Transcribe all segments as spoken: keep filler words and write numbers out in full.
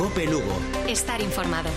Cope Lugo. Estar informado.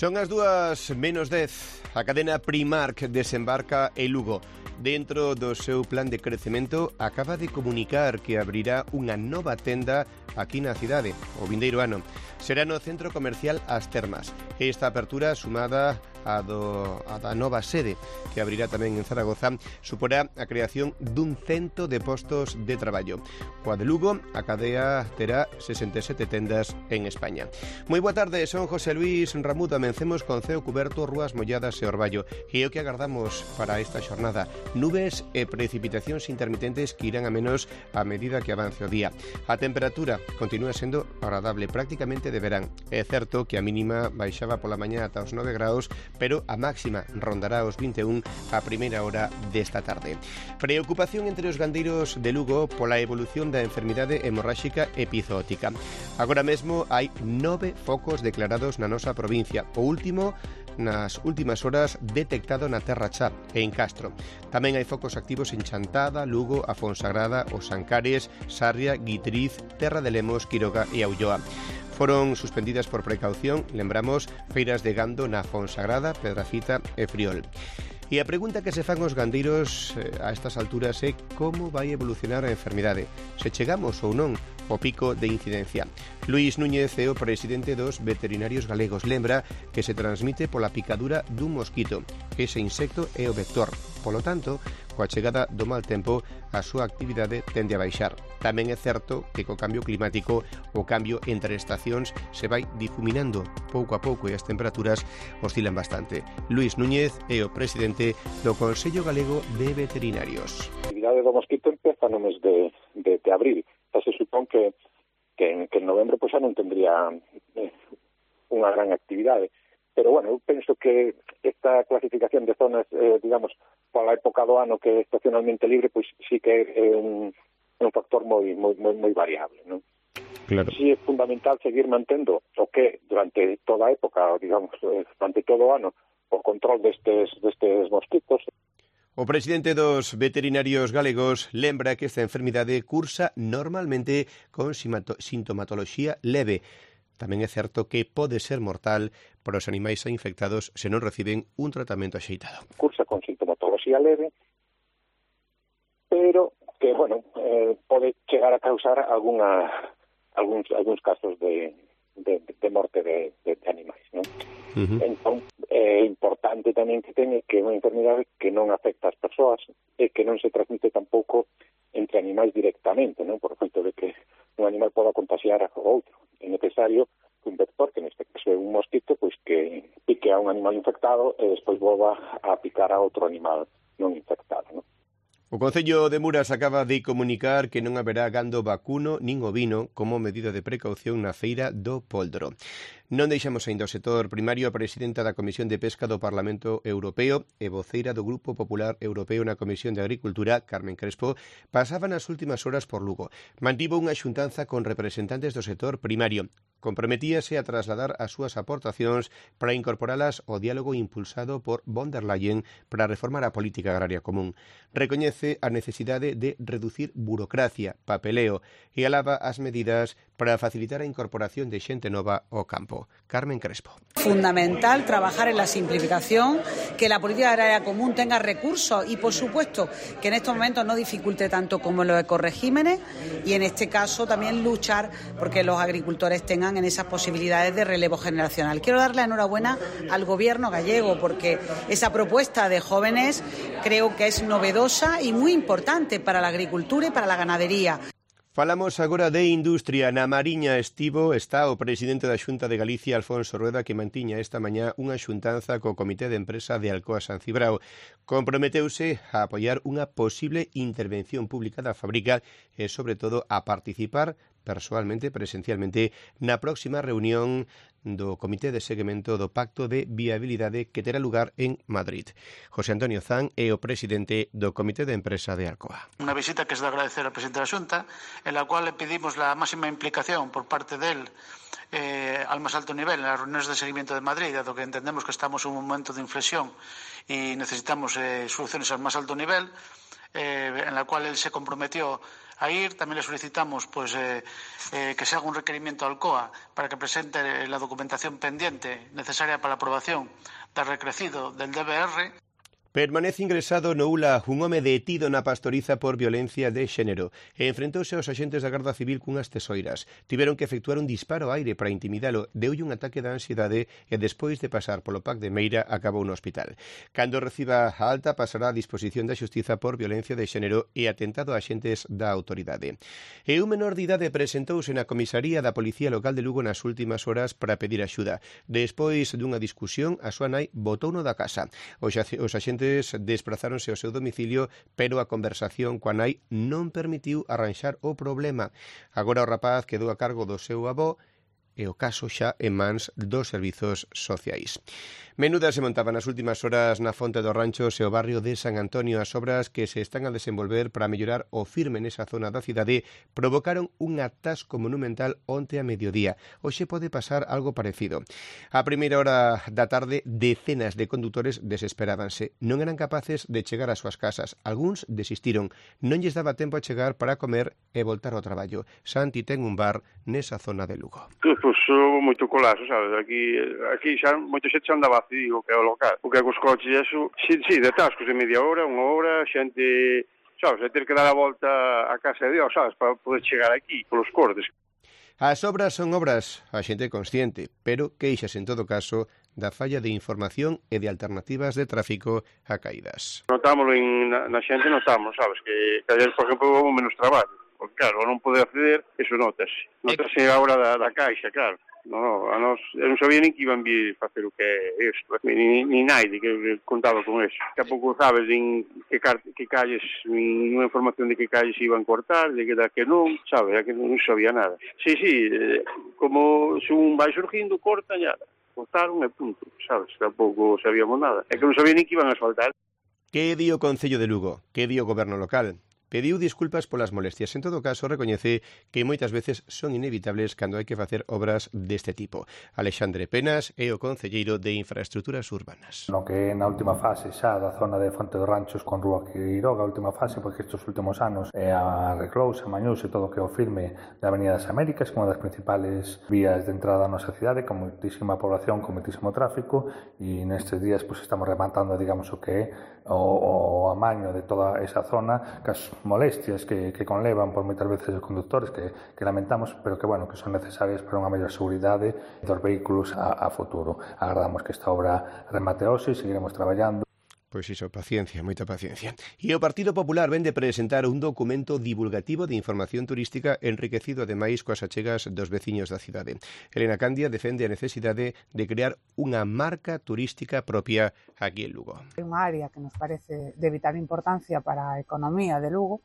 Son as dúas menos dez. A cadena Primark desembarca en Lugo. Dentro do seu plan de crecemento, acaba de comunicar que abrirá unha nova tenda aquí na cidade, o vindeiro ano. Será no centro comercial As Termas. Esta apertura, sumada a, do, a da nova sede, que abrirá tamén en Zaragoza, suporá a creación dun cento de postos de traballo. Coa de Lugo, a cadea terá sesenta e sete tendas en España. Moi boa tarde, son José Luis Ramudo. Amencemos con ceo cuberto, rúas molladas e orballo. E é o que agardamos para esta xornada. Nubes e precipitacións intermitentes que irán a menos a medida que avance o día. A temperatura continúa sendo agradable, prácticamente de verán. É certo que a mínima baixaba pola mañá ata os nove graus, pero a máxima rondará os vinte e un a primeira hora desta tarde. Preocupación entre os gandeiros de Lugo pola evolución da enfermidade hemorráxica epizootica. Agora mesmo hai nove focos declarados na nosa provincia. O último nas últimas horas detectado na Terra Chá e en Castro. Tamén hai focos activos en Chantada, Lugo, a Fonsagrada, os Ancares, Sarria, Guitriz, Terra de Lemos, Quiroga e Aulloa. Foron suspendidas por precaución, lembramos, feiras de gando na Fonsagrada, Pedrafita e Friol. E a pregunta que se fan os gandeiros eh, a estas alturas é como vai evolucionar a enfermidade, se chegamos ou non o pico de incidencia. Luís Núñez é o presidente dos veterinarios galegos. Lembra que se transmite pola picadura dun mosquito. Ese insecto é o vector. Polo tanto, coa chegada do mal tempo, a súa actividade tende a baixar. Tamén é certo que co cambio climático o cambio entre estacións se vai difuminando pouco a pouco e as temperaturas oscilan bastante. Luís Núñez é o presidente do Consello Galego de Veterinarios. A actividade do mosquito empeza no mes de, de, de abril. Xa se supón que, que, en, que en novembro pues, xa non tendría eh, unha gran actividade. Pero, bueno, eu penso que esta clasificación de zonas, eh, digamos, pola época do ano que é estacionalmente libre, pois sí que é un, un factor moi, moi, moi, moi variable, non? Claro. Sí é fundamental seguir mantendo o que durante toda a época, digamos, durante todo o ano, o control destes, destes mosquitos. O presidente dos veterinarios galegos lembra que esta enfermidade cursa normalmente con sintomatoloxía leve. Tamén é certo que pode ser mortal para os animais infectados se non reciben un tratamento axeitado. Cursa con sintomatoloxía leve, pero que, bueno, eh, pode chegar a causar alguna, algúns, algúns casos de, de, de morte de, de, de animais, non? Uh-huh. Entón, é importante tamén que teña que é unha enfermidade que non afecta as persoas e que non se transmite tampouco entre animais directamente, non? Por efecto de que un animal poda contagiar a outro. É necesario que un vector, que neste caso é un mosquito, pois que pique a un animal infectado e despois volva a picar a outro animal non infectado, non? O Concello de Muras acaba de comunicar que non haberá gando vacuno nin ovino como medida de precaución na feira do Póldoro. Non deixamos ainda o sector primario. A presidenta da Comisión de Pesca do Parlamento Europeo e voceira do Grupo Popular Europeo na Comisión de Agricultura, Carmen Crespo, pasaba nas últimas horas por Lugo. Mantivo unha xuntanza con representantes do sector primario. Comprometíase a trasladar as súas aportacións para incorporalas ao diálogo impulsado por von der Leyen para reformar a política agraria común. Recoñece a necesidade de reducir burocracia, papeleo e alaba as medidas para facilitar a incorporación de xente nova ao campo. Carmen Crespo. Fundamental trabajar en la simplificación, que la política agraria común tenga recursos y, por supuesto, que en estos momentos no dificulte tanto como los ecoregímenes y, en este caso, también luchar porque los agricultores tengan en esas posibilidades de relevo generacional. Quiero darle enhorabuena al Gobierno gallego porque esa propuesta de jóvenes creo que es novedosa y muy importante para la agricultura y para la ganadería. Falamos agora de industria. Na Mariña estivo está o presidente da Xunta de Galicia, Alfonso Rueda, que mantiña esta mañá unha xuntanza co Comité de Empresa de Alcoa San Cibrao. Comprometeuse a apoiar unha posible intervención pública da fábrica e, sobre todo, a participar persoalmente, presencialmente, na próxima reunión do Comité de Seguimento do Pacto de Viabilidade que terá lugar en Madrid. José Antonio Zan é o presidente do Comité de Empresa de Alcoa. Unha visita que es de agradecer ao presidente da Xunta, en la cual le pedimos la máxima implicación por parte del eh, al más alto nivel en las reuniones de seguimiento de Madrid, dado que entendemos que estamos en un momento de inflexión y necesitamos eh, soluciones al más alto nivel, eh, en la cual él se comprometió a ir. También le solicitamos pues, eh, eh, que se haga un requerimiento al C O A para que presente la documentación pendiente necesaria para la aprobación del recrecido del D B R. Permanece ingresado no U L A un home detido na Pastoriza por violencia de xénero. Enfrentouse aos axentes da Garda Civil cunhas tesoiras. Tiveron que efectuar un disparo ao aire para intimidalo. Deulle un ataque de ansiedade e despois de pasar polo P A C de Meira acabou no hospital. Cando reciba a alta pasará a disposición da xustiza por violencia de xénero e atentado a axentes da autoridade. E un menor de idade presentouse na comisaría da Policía Local de Lugo nas últimas horas para pedir axuda. Despois dunha discusión, a súa nai botouno da casa. Os axentes desprazáronse ao seu domicilio, pero a conversación coa nai non permitiu arranxar o problema. Agora o rapaz quedou a cargo do seu avó e o caso xa en mans dos servizos sociais. Menudas se montaban nas últimas horas na Fonte dos Ranchos e o barrio de San Antonio. As obras que se están a desenvolver para mellorar o firme nesa zona da cidade provocaron un atasco monumental onte a mediodía. Hoxe pode pasar algo parecido. A primeira hora da tarde, decenas de condutores desesperábanse. Non eran capaces de chegar ás súas casas. Algúns desistiron. Non lles daba tempo a chegar para comer e voltar ao traballo. Santi ten un bar nesa zona de Lugo. Pois, pois moito colazo, sabes? Aquí, aquí xa moita xente xa andaba digo que é o local. O que é cos coches e eso, si, si, de atascos de media hora, unha hora, xente, sabes, a ter que dar a volta a casa de Dios, sabes, para poder chegar aquí, polos cortes. As obras son obras, a xente consciente, pero queixas en todo caso da falla de información e de alternativas de tráfico a caídas. Notámoslo en, na, na xente, notamos, sabes, que, que ayer, por exemplo, houve menos traballo. Porque, claro, non poder acceder, eso notase. Notase a hora da, da caixa, claro. No, no, a nos, eu non sabía nin que iban vir facer o que é isto, ni, ni naide que contaba con eso. Tampouco sabes nin que, que calles, nin unha información de que calles iban cortar, de que da que non, sabes, que non sabía nada. Sí, sí, eh, como se un vai surgindo, corta, ya, cortaron e punto, sabes, tampouco sabíamos nada. É que non sabía nin que iban a asfaltar. Que di o Concello de Lugo? Que di o Goberno local? Pediu disculpas polas molestias. En todo caso, recoñece que moitas veces son inevitables cando hai que facer obras deste tipo. Alexandre Penas é o concelleiro de Infraestructuras Urbanas. No que na última fase xa da zona de Fonte dos Ranchos con Rúa Quiroga, a última fase, porque estes últimos anos é arreglouse, amañouse todo o que é o firme da Avenida das Américas, que é unha das principales vías de entrada na nosa cidade, con moitísima población, con moitísimo tráfico, e nestes días pues, estamos rematando, digamos, o que é o, o amaño de toda esa zona, que as molestias que, que conlevan por moitas veces os conductores que, que lamentamos, pero que bueno, que son necesarias para unha mellor seguridade dos vehículos a, a futuro. Agardamos que esta obra remate hoxe e seguiremos traballando. Pois iso, paciencia, moita paciencia. E o Partido Popular vende presentar un documento divulgativo de información turística enriquecido ademais coas achegas dos veciños da cidade. Elena Candia defende a necesidade de crear unha marca turística propia aquí en Lugo. Unha área que nos parece de vital importancia para a economía de Lugo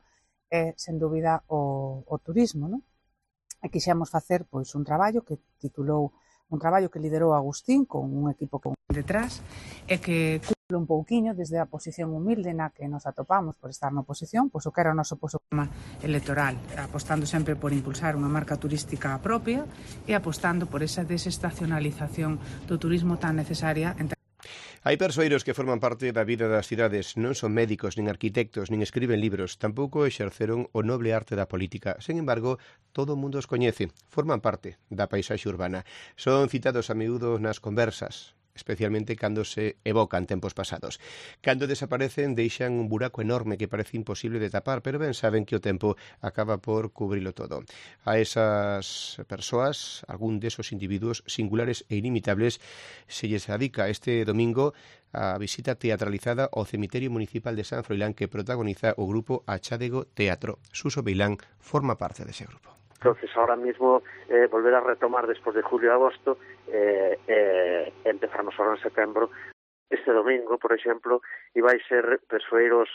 é, sen dúbida, o, o turismo, non? E quixemos facer pois un traballo que titulou un traballo que liderou Agustín con un equipo con detrás e que cumple un pouquiño desde a posición humilde na que nos atopamos por estar na oposición, pois o que era o noso programa electoral, apostando sempre por impulsar unha marca turística propia e apostando por esa desestacionalización do turismo tan necesaria entre Hai persoeiros que forman parte da vida das cidades, non son médicos, nin arquitectos, nin escriben libros, tampouco exerceron o noble arte da política. Sen embargo, todo o mundo os coñece, forman parte da paisaxe urbana. Son citados a miúdo nas conversas, especialmente cando se evocan tempos pasados. Cando desaparecen, deixan un buraco enorme que parece imposible de tapar, pero ben saben que o tempo acaba por cubrilo todo. A esas persoas, algún desos individuos singulares e inimitables, se lles adica este domingo a visita teatralizada ao cemiterio municipal de San Froilán que protagoniza o grupo Achádego Teatro. Suso Beilán forma parte dese grupo. Entonces ahora mismo eh, volver a retomar después de julio y agosto, eh, eh, empezamos ahora en setembro. Este domingo, por exemplo, iba a ser persoeiros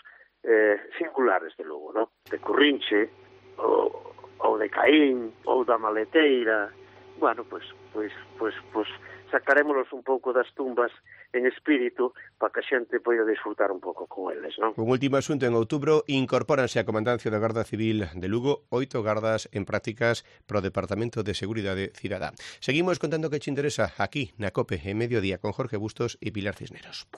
eh, singulares de Lugo, ¿no? De Currinche, ou, ou de Caín, ou da Maleteira. Bueno, pues, pues, pues, pues sacarémolos un pouco das tumbas en espírito para que a xente poida disfrutar un pouco con eles, non? Un último asunto, en outubro incorpóranse á Comandancia da Garda Civil de Lugo oito gardas en prácticas pro Departamento de Seguridade Cidadá. Seguimos contando que che interesa aquí na COPE en Mediodía con Jorge Bustos e Pilar Cisneros.